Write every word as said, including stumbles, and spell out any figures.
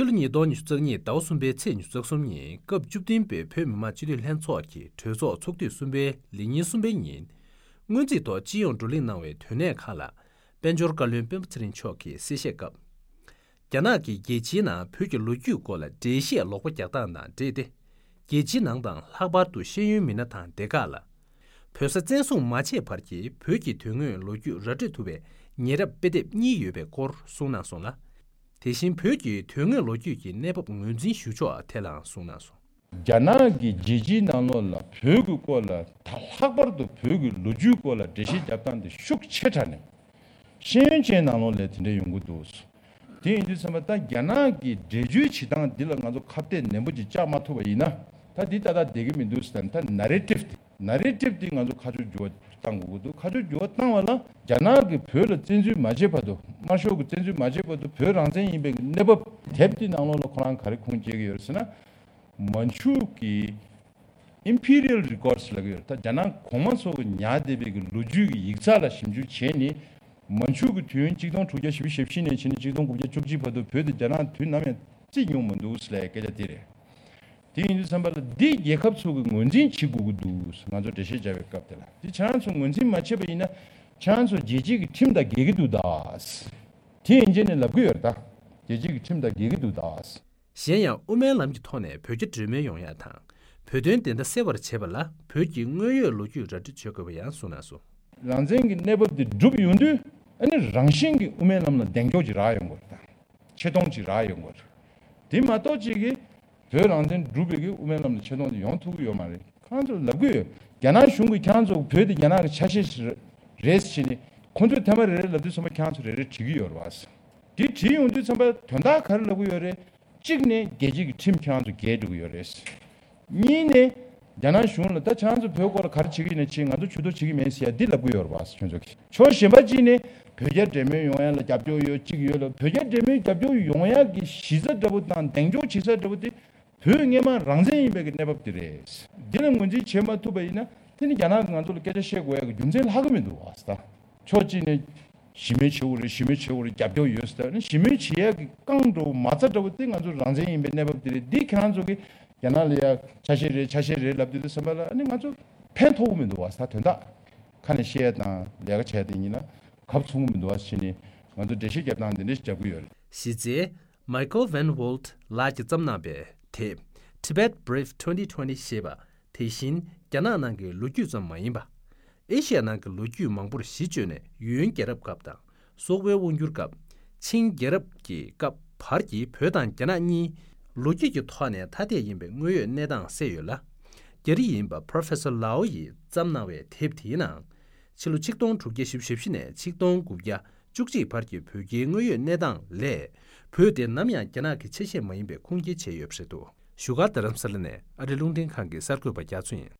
ཕྱི་ལོ་ཉིས་སྟོང་ཉི་ཤུ་རྩ་གཉིས་ཟླ་བ་གསུམ་པའི་ཚེས་ཉི་ཤུ་རྩ་གསུམ་ཉིན་སྐབས་བཅུ་བདུན་པའི་བོད་མི་མང་སྤྱི་འཐུས་ལྷན་ཚོགས་ཀྱི་གྲོས་ཚོགས་ཚོགས་དུས་གསུམ་པའི་ལས་ཉིན་གསུམ་པའི་ཉིན། སྔོན་རྩིས་ཐོག་སྤྱི་ཡོངས་བགྲོ་གླེང་གནང་བའི་དོན་གནད་ཁག་ལ། དཔལ་འབྱོར་བཀའ་བློན་སྤེན་པ་ཚེ་རིང་མཆོག་གིས་གསལ་བཤད་སྐབས། རྒྱ་ནག་གིས་རྒྱལ་སྤྱིའི་ནང་བོད་ཀྱི་ལོ་རྒྱུས་སྐོར་ལ་འགྲེལ་བཤད་ལོག་པ་རྒྱག་སྟངས་དང་འབྲེལ་ཏེ། རྒྱལ་སྤྱིའི་ནང་དང་ལྷག་པར་དུ་ཤེས་ཡོན་མི་སྣ་དང་སྡེ་ཁག་ལ། བོད་ས་བཙན་བཟུང་མ་བྱས་བར་གྱི་བོད་ཀྱི་དོན་དངོས་ལོ་རྒྱུས་ར་སྤྲོད་ཐུབ་པའི་ཉེ་རབས་དཔེ་དེབ་གཉིས་ཡོད་པའི་སྐོར་གསུངས་གནང་སོང་ལ། དེ་བཞིན་བོད་ཀྱི་དོན་དངོས་ལོ་རྒྱུས་ཀྱི་གནས་བབ་ངོས་འཛིན་ཞུ་ཕྱོགས་ཐད་ལའང་གསུངས་གནང་སོང་། རྒྱ་ནག་གིས་རྒྱལ་སྤྱིའི་ནང་ལོགས་ལ་བོད་ཀྱི་སྐོར་ལ་ད་ལྷག་པར་དུ་བོད་ཀྱི་ལོ་རྒྱུས་སྐོར་ལ་འགྲེལ་བཤད་རྒྱབ་སྟངས་དེ་ཤུགས་ཆེ་དྲགས་ནས་ཤེས་ཡོན་ཅན་ནང་ལོགས་ལ་དེ་འདྲ་ཡོང་གི་འདུག་དེ་ཡིན་དུས་ཙམ་པ་ད་རྒྱ་ནག་གི་འགྲེལ་བརྗོད་བྱེད་སྟངས་འདི་ལ་ང་ཚོ་ཁ་གཏད་ནན་པོ་ཅིག་བཅག་མ་ཐུབ་པ་ཡིན་ན་ད་འདི་ཏག་ཏག་བསྡད་ཀྱི་མི་འདུག་ཟེར་ད་ནེ་རེ་ཊིབ་དེ་ནེ་རེ་ཊིབ་དེ་ང་ཚོ་ཁ་ཕྱོགས་འགྱུར་བ་བཏང་དགོས་ཀྱི་འདུག་ཁ་ཕྱོགས་འགྱུར་བ་བཏང་བ་ལ་རྒྱ་ནག་གིས་བོད་ལ་བཙན་འཛུལ་མ་བྱས་བར་དུ་དམར་ཤོག་གིས་བཙན་འཛུལ་མ་བྱས་བར་དུ་བོད་རང་བཙན་ཡིན་པའི་གནས་བབ་དེབ་དེ་ནང་ལོགས་ལ་ཁོ་རང་ག་རེ་ཁུངས་སྐྱེལ་གྱི་ཡོད་ཟེར་ན། མན་ཆུ་གི་Imperial Records་ལབ་ཀྱི་ཡོད་རེད། ད་རྒྱ་ནག་གོང་མ་ཚོ་གི་ཉར་བསྡད་པའི་གི་ལོ་རྒྱུས་ཀྱི་ཡིག་ཚགས་ལ་ཞིབ་འཇུག་བྱས་ནས་མན་ཆུ་གི་དུས་ཡུན་གཅིག་སྟོང་དྲུག་བརྒྱ་བཞི་བཅུ་ཞེ་བཞི་ནས་བྱས་ནས་གཅིག་སྟོང་དགུ་བརྒྱ་བཅུ་གཅིག་བར་དུ་བོད་དེ་རྒྱ་ནག་དུས་ནམ་ཡང་བརྩིས་མྱོང་མི་འདུག་ཟེར་ལབ་ཡ་སྐད་ཆ་དེ་རེད། དེ་ཡིན་དུས་ཙམ་པ་ལ་འདི་རྒྱལ་ཁབ་ཚོ་གི་ངོས་འཛིན་བྱེད་དགོས་ཀྱི་འདུག་ང་ཚོ་འགྲེལ་བཤད་བྱ་བའི་སྐབས་དེ་ལ་འདི་ཁྱེད་རང་ཚོ་ངོས་འཛིན་མ་བྱས་པ་ཡིན་ན་ཁྱེད་རང་ཚོ་རྒྱལ་སྤྱི་གི་ཁྲིམས་དང་འགལ་གྱི་འདུག་ད། དེ་ཡིན་རྗེས་ནས་ལབ་ཀྱི་ཡོད་རེད་ད། རྒྱལ་སྤྱི་གི་ཁྲིམས་དང་འགལ་གྱི་འདུག་ད། གཞན་ཡང་དབུ་མའི་ལམ་གྱི་ཐོག་ནས་བོད་རྒྱ་འབྲེལ་མོལ་ཡོང་ཡ་དང་། བོད་དོན་བདེན་མཐའ་གསལ་བར་བྱེད་པ་ལ་བོད་ཀྱི་དངོས་ཡོད་ལོ་རྒྱུས་ར་སྤྲོད་བྱེད་དགོས་པ་ཡང་གསུངས་གནང་སོང་། རང་བཙན་གྱི་གནས་བབ་དེ་འགྲུབ་ཡོང་དུས་ཨ་ནི་རང་བཞིན་གྱིས་དབུ་མའི་ལམ་ལ་གདེང་འཇོག་ཅིག་རག་ཡོང་དགོས་རེད་ད། ཆེ་མཐོང་ཅིག་རག་ཡོང་དགོས་རེད། དེ་མ་གཏོགས་ཅིག་གིས་བོད་རང་བཙན་སྒྲུབ་པའི་གི་དབུ་མའི་ལམ་ལ་ཆེ་མཐོང་དེ་ཡོང་ཐུབ་ཀྱི་ཡོད་མ་རེད། ཁོང་ཚོ་ལབ་ཀྱི་ཡོད། རྒྱ་ནག་གཞུང་གིས་ཁྱེད་རང་ཚོ་བོད་དེ་རྒྱ་ནག་གི་ཆ་ཤས་ཤིག་རེད་ཟེར་ནས་ཁོང་ཚོས་ཐེངས་མ་རེ་རེ་ལབ་དུས་ཚང་མ་ཁྱེད་རང་ཚོ་རེ་རེ་བྲིས་ཀྱི་ཡོད་རེད་བ། དེ་བྲིས་ཡོང་དུས་ཚང་མ་དོན་དག་ག་རེ་ལབ་ཀྱི་ཡོད་རེད། གཅིག་ནས་རྒྱལ་སྤྱི་གི་ཁྲིམས་ཁྱེད་རང་ཚོ་འགལ་འགྲོ་གི་ཡོད་རེད། གཉིས་ནས་རྒྱ་ནག་གཞུང་ལ་ད་ཁྱེད་རང་ཚོ་བོད་སྐོར་ལ་ག་རེ་བྱེད་ཀྱི་ཡིན་ན་བྱེད། ང་ཚོ་ཇུས་གཏོགས་བྱེད་ཀྱི་མེད་ཟེར་ཡ་འདི་ལབ་ཀྱི་ཡོད་རེད་བ། ཁྱོད་ཚོ་གིས་ཕྱོགས་གཞན་པ་གཅིག་ནས་བོད་རྒྱ་འབྲེལ་མོལ་ཡོང་ཡ་ལ་རྒྱབ་སྐྱོར་ཡོད་གཅིག་ཡོད་ལ། བོད་རྒྱ་འབྲེལ་མོལ་རྒྱབ་སྐྱོར་ཡོང་ཡ་གི་གཞི་རྩ་འདྲ་པོ་དང་གདེང་འཇོག་བྱེད་ས་འདྲ་པོ་དེ་བོད་སྔོན་མ་རང་བཙན་ཡིན་པའི་གི་གནས་བབ་དེ་རེད། འདི་ལ་ངོས་འཛིན་བྱེད་མ་ཐུབ་པ་ཡིན་ན་དེ་ནི་རྒྱ་ནག་གིས་ང་ཚོ་ལ་སྐད་ཆ་བཤད་དགོས་ཡ་གི་རྒྱུ་མཚན་ལྷག་གི་མི་འདུག་བ། ད་ཕྱོགས་གཅིག་ནས་ཞི་མོལ་བྱེད་དགོས་རེད། ཞི་མོལ་བྱེད་དགོས་རེད། རྒྱབ་སྐྱོར་ཡོད་ཟེར་ནས་ཞི་མོལ་བྱེད་ཡ་གི་རྐང་འདྲ་པོ་མ་རྩ་འདྲ་པོ་དེ་ང་ཚོ་རང་བཙན་ཡིན་པའི་གནས་བབ་དེ་རེད། འདི་ཁྱེད་རང་ཚོ་གིས་རྒྱ་ནག་ལ་ཡ་ཆ་ཤས་རེད་ཆ་ཤས་རེད་ལབ་དུས་དེ་བསམ་པ་ལ་ཨ་ནི་ང་ཚོ་ཕན་ཐོགས་གི་མི་འདུག་བ། ད་དོན་དག་ཁ་ནས་བཤད་ཡ་དང་ལས་ཀ་བྱས་ཏེ་ཡིན་ན་གབ་ཚུགས་གི་མི་འདུག་བ་བྱས་ནས་ང་ཚོ་འགྲེལ་བཤད་རྒྱབ་སྟངས་འདི་འདྲ་ཞིག་རྒྱབ་ཀྱི་ཡོད་རེད། གཞི་རྩའི་Michael Van Walt་ལགས་ཀྱིས་བརྩམས་གནང་པའི་དེབ་Tibet Brief twenty twenty་ཞེས་པ། དེ་བཞིན་རྒྱ་ནག་ནང་གི་ལོ་རྒྱུས་ཙམ་མ་ཡིན་པ། ཨེ་ཤི་ཡ་ནང་གི་ལོ་རྒྱུས་མང་པོར་གཞི་བཅོལ་ནས་ཡུན་རྒྱལ་རབས་སྐབས་དང་སོག་པོའི་དབང་སྒྱུར་སྐབས། ཆིང་རྒྱལ་རབས་ཀྱི་སྐབས་བར་གྱི་བོད་དང་རྒྱ་ནག་གཉིས་ལོ་རྒྱུས་ཀྱི་ཐོག་ནས་ཐ་དད་ཡིན་པའི་དངོས་ཡོད་གནས་སྟངས་གསལ་ཡོད་ལ། རྒྱ་རིགས་ཡིན་པ་Professor Lau་ཡིས་བརྩམས་གནང་བའི་དེབ་དེའི་ནང་། ཕྱི་ལོ་ཆིག་སྟོང་དྲུག་བརྒྱ་བཞི་བཅུ་ཞེ་བཞི་ནས་ཆིག་སྟོང་དགུ་བརྒྱ་བཅུ་གཅིག་བར་གྱི་བོད་རྒྱའི་དངོས་ཡོད་གནས་སྟངས་ལས། བོད་དེ་ནམ་ཡང་རྒྱ་ནག་གི་ཆ་ཤས་མ་ཡིན་པའི་ཁུངས་སྐྱེལ་བྱས་ཡོད་པ་རེད་འདུག་བཞུགས་སྒར་རྡ་རམ་ས་ལ་ནས་ཨ་རི་རླུང་འཕྲིན་ཁང་གི་གསར་འགོད་པ་རྒྱ་མཚོ་ཡིན།